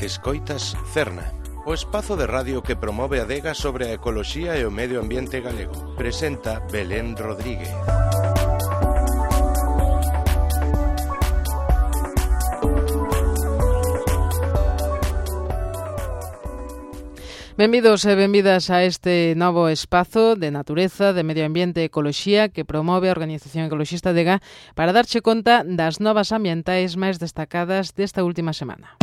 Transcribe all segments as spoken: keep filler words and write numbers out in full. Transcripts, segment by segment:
Escoitas Cerna, o espazo de radio que promove a adega sobre a ecoloxía e o medio ambiente galego. Presenta Belén Rodríguez. Benvidos e benvidas a este novo espazo de natureza, de medio ambiente e ecoloxía que promove a Organización Ecoloxista Adega para darche conta das novas ambientais máis destacadas desta última semana.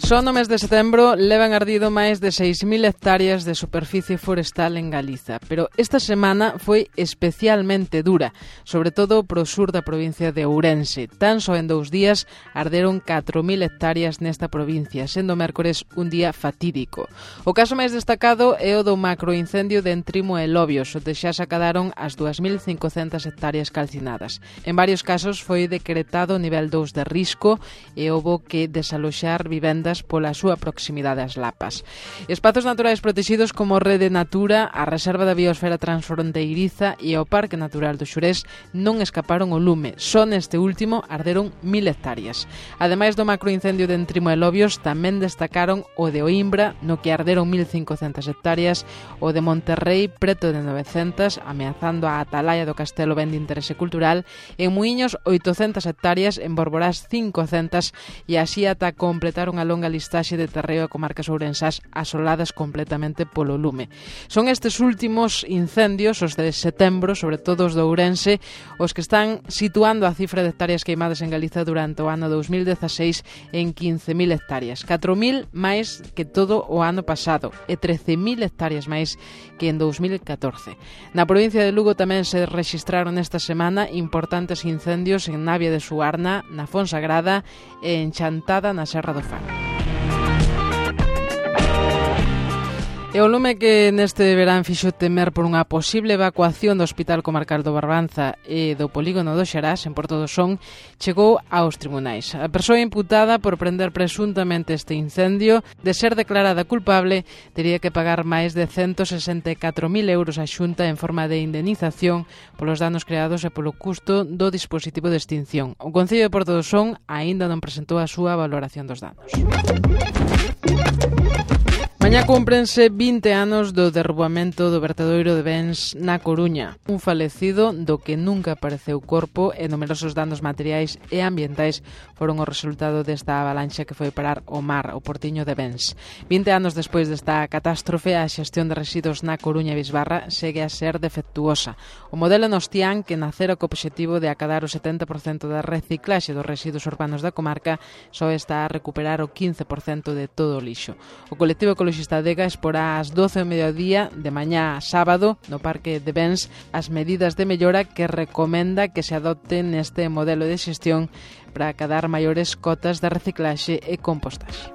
Só no mes de setembro levan ardido máis de seis mil hectáreas de superficie forestal en Galiza, pero esta semana foi especialmente dura, sobre todo pro sur da provincia de Ourense. Tan só en dous días arderon catro mil hectáreas nesta provincia, sendo mércores un día fatídico. O caso máis destacado é o do macroincendio de Entrimo e Lobios, onde xa se acadaron as dúas mil cincocentas hectáreas calcinadas. En varios casos foi decretado nivel dous de risco e houbo que desaloxar vivendas pola súa proximidade ás lapas. Espazos naturais protegidos como Rede Natura, a Reserva da Biosfera Transfronteiriza e o Parque Natural do Xurés non escaparon o lume. Só neste último arderon mil hectáreas. Ademais do macroincendio de Entrimo e Lobios, tamén destacaron o de Oimbra, no que arderon mil cincocentas hectáreas, o de Monterrei, preto de novecentas, ameazando a atalaya do castelo ben de interese cultural, en Muiños, oitocentas hectáreas, en Borborás, cincocentas, e así ata completar unha longa listaxe de terreo e comarcas ourensás asoladas completamente polo lume. Son estes últimos incendios, os de setembro, sobre todo os do Ourense, os que están situando a cifra de hectáreas queimadas en Galiza durante o ano dous mil dezaseis en quince mil hectáreas, catro mil máis que todo o ano pasado e trece mil hectáreas máis que en dous mil catorce. Na provincia de Lugo tamén se rexistraron esta semana importantes incendios en Navia de Suarna, na Fonsagrada e en Chantada, na Serra do Faro. E o lume que neste verán fixo temer por unha posible evacuación do Hospital Comarcal do Barbanza e do Polígono do Xarás, en Porto do Son, chegou aos tribunais. A persoa imputada por prender presuntamente este incendio, de ser declarada culpable, tería que pagar máis de ciento sesenta e catro mil euros á Xunta en forma de indemnización polos danos creados e polo custo do dispositivo de extinción. O Concello de Porto do Son aínda non presentou a súa valoración dos danos. Mañá cúmprense vinte anos do derrubamento do vertedoiro de Bens na Coruña. Un falecido do que nunca apareceu corpo e numerosos danos materiais e ambientais foron o resultado desta avalancha que foi parar o mar, o portiño de Bens. vinte anos despois desta catástrofe, a xestión de residuos na Coruña e Bisbarra segue a ser defectuosa. O modelo Nostián, que nacera co obxectivo de acadar o setenta por cento da reciclaxe dos residuos urbanos da comarca, só está a recuperar o quince por cento de todo o lixo. O colectivo Ecoloxista Adega exporá ás doce do mediodía de mañá a sábado no Parque de Bens as medidas de mellora que recomenda que se adopten neste modelo de xestión para acadar maiores cotas de reciclaxe e compostaxe.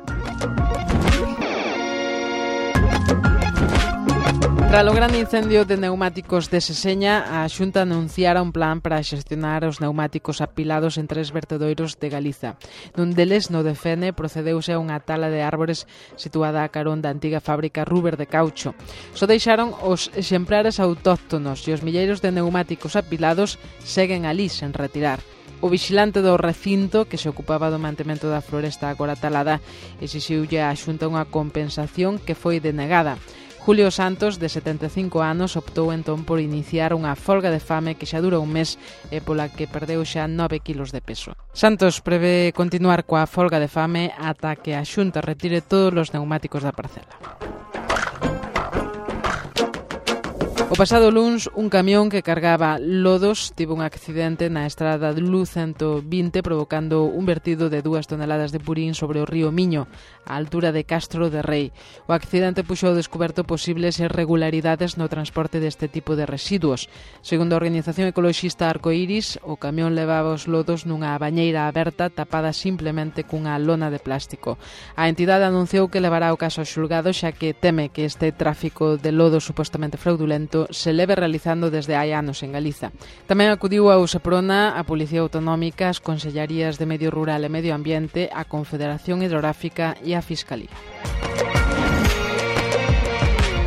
Tras o grande incendio de neumáticos de Seseña, a Xunta anunciara un plan para xestionar os neumáticos apilados en tres vertedoiros de Galiza. Nun deles, no de Fene, procedeuse a unha tala de árbores situada a carón da antiga fábrica Ruber de Caucho. Só deixaron os exemplares autóctonos e os milleiros de neumáticos apilados seguen alí sen retirar. O vigilante do recinto, que se ocupaba do mantemento da floresta agora talada, exixiulle á Xunta unha compensación que foi denegada. Julio Santos, de setenta e cinco anos, optou entón por iniciar unha folga de fame que xa dura un mes e pola que perdeu xa nove kilos de peso. Santos prevé continuar coa folga de fame ata que a Xunta retire todos os neumáticos da parcela. O pasado luns, un camión que cargaba lodos tivo un accidente na estrada de Luz ciento vinte provocando un vertido de dúas toneladas de purín sobre o río Miño, á altura de Castro de Rei. O accidente puxo ao descoberto posibles irregularidades no transporte deste tipo de residuos. Segundo a Organización Ecoloxista Arcoiris, o camión levaba os lodos nunha bañeira aberta tapada simplemente cunha lona de plástico. A entidade anunciou que levará o caso ao xulgado xa que teme que este tráfico de lodo supostamente fraudulento se leve realizando desde hai anos en Galiza. Tamén acudiu ao Seprona, a Policía Autonómica, as Consellarías de Medio Rural e Medio Ambiente, a Confederación Hidrográfica e a Fiscalía.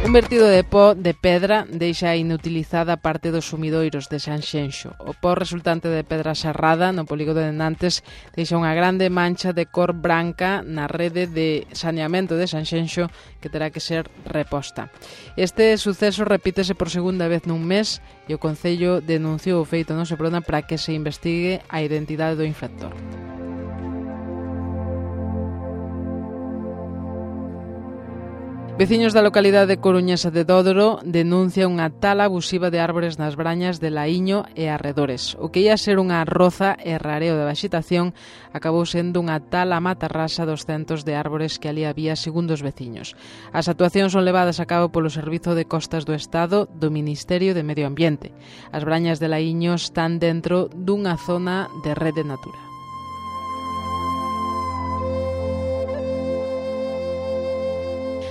Un vertido de pó de pedra deixa inutilizada parte dos sumidoiros de Sanxenxo. O pó resultante de pedra serrada no polígono de Nantes deixa unha grande mancha de cor branca na rede de saneamento de Sanxenxo que terá que ser reposta. Este suceso repítese por segunda vez nun mes e o Concello denunciou o feito no Seprona para que se investigue a identidade do infractor. Veciños da localidade coruñesa de Dódoro denuncia unha tala abusiva de árbores nas brañas de Laíño e arredores. O que ia ser unha roza e rareo de vexetación acabou sendo unha tala matarrasa dos centos de árbores que ali había, segundo os veciños. As actuacións son levadas a cabo polo Servizo de Costas do Estado do Ministerio de Medio Ambiente. As brañas de Laíño están dentro dunha zona de Rede Natura.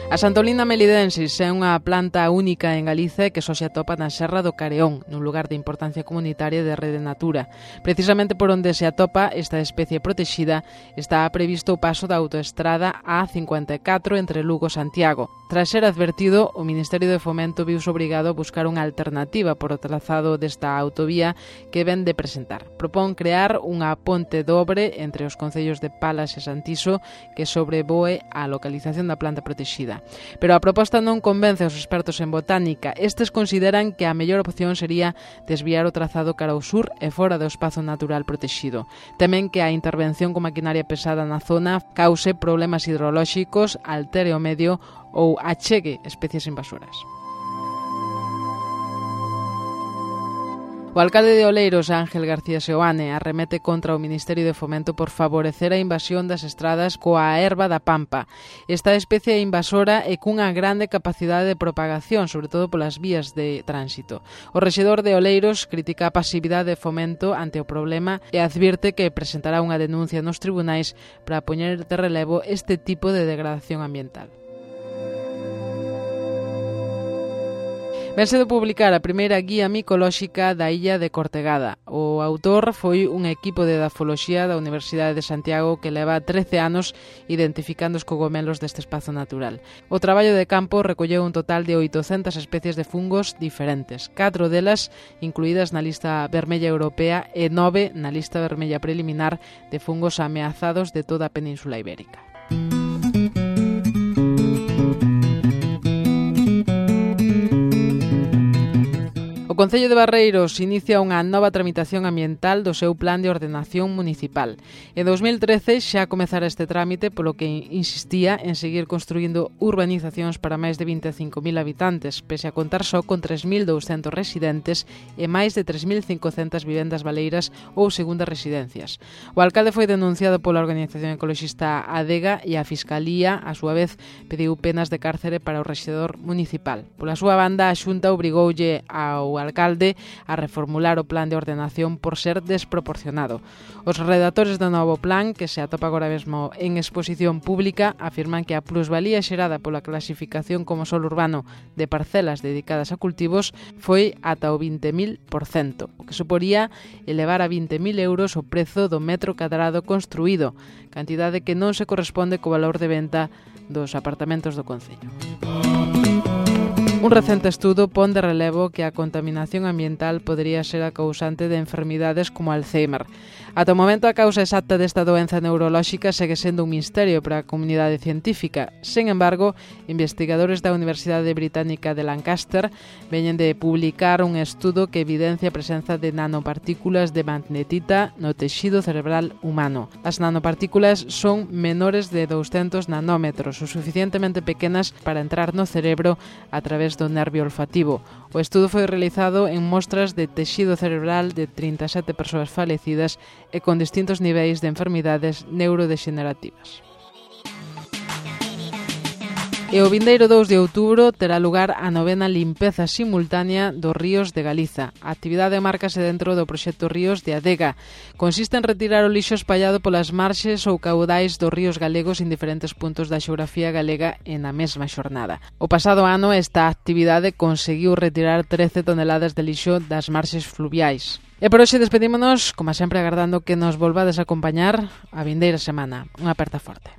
A Santolina melidensis é unha planta única en Galiza que só se atopa na Serra do Careón, nun lugar de importancia comunitaria de Rede Natura. Precisamente por onde se atopa esta especie protexida está previsto o paso da autoestrada A cincuenta e catro entre Lugo e Santiago. Tras ser advertido, o Ministerio de Fomento viuse obrigado a buscar unha alternativa por o trazado desta autovía que ven de presentar. Propón crear unha ponte dobre entre os concellos de Palas e Santiso que sobrevoe a localización da planta protexida. Pero a proposta non convence aos expertos en botánica. Estes consideran que a mellor opción sería desviar o trazado cara ao sur e fora do espazo natural protexido. Temen que a intervención con maquinaria pesada na zona cause problemas hidrolóxicos, altere o medio ou achegue especies invasoras. O alcalde de Oleiros, Ángel García Seoane, arremete contra o Ministerio de Fomento por favorecer a invasión das estradas coa erva da pampa. Esta especie invasora é cunha grande capacidade de propagación, sobre todo polas vías de tránsito. O rexedor de Oleiros critica a pasividade de Fomento ante o problema e advirte que presentará unha denuncia nos tribunais para poñer de relevo este tipo de degradación ambiental. Vense de publicar a primeira guía micolóxica da illa de Cortegada. O autor foi un equipo de edafoloxía da Universidade de Santiago que leva trece anos identificando os cogomelos deste espazo natural. O traballo de campo recolleu un total de oitocentas especies de fungos diferentes, catro delas incluídas na lista vermella europea e nove na lista vermella preliminar de fungos ameazados de toda a Península Ibérica. O Concello de Barreiros inicia unha nova tramitación ambiental do seu plan de ordenación municipal. En dous mil trece xa comezara este trámite, polo que insistía en seguir construindo urbanizacións para máis de vinte e cinco mil habitantes, pese a contar só con tres mil douscentos residentes e máis de tres mil cincocentas vivendas baleiras ou segundas residencias. O alcalde foi denunciado pola organización ecoloxista Adega e a Fiscalía, a súa vez, pediu penas de cárcere para o rexedor municipal. Pola súa banda, a Xunta obrigoulle ao alcalde a reformular o plan de ordenación por ser desproporcionado. Os redactores do novo plan, que se atopa agora mesmo en exposición pública, afirman que a plusvalía xerada pola clasificación como solo urbano de parcelas dedicadas a cultivos foi ata o vinte mil por cento, o que suporía elevar a vinte mil euros o prezo do metro cadrado construído, cantidade que non se corresponde co valor de venta dos apartamentos do concello. Un recente estudo pon de relevo que a contaminación ambiental podería ser a causante de enfermidades como Alzheimer. Ata o momento, a causa exacta desta doenza neurolóxica segue sendo un misterio para a comunidade científica. Sen embargo, investigadores da Universidade Británica de Lancaster veñen de publicar un estudo que evidencia a presenza de nanopartículas de magnetita no texido cerebral humano. As nanopartículas son menores de douscentos nanómetros, o suficientemente pequenas para entrar no cerebro a través do nervio olfativo. O estudo foi realizado en mostras de texido cerebral de trinta e sete persoas falecidas e con distintos niveis de enfermidades neurodexenerativas. E o vindeiro dous de outubro terá lugar a novena limpeza simultánea dos ríos de Galiza. A actividade márcase dentro do proxecto Ríos de Adega. Consiste en retirar o lixo espallado polas marxes ou caudais dos ríos galegos en diferentes puntos da xeografía galega en a mesma xornada. O pasado ano esta actividade conseguiu retirar trece toneladas de lixo das marxes fluviais. E por hoxe despedímonos, como sempre, agardando que nos volvades a acompañar a vindeira semana. Unha aperta forte.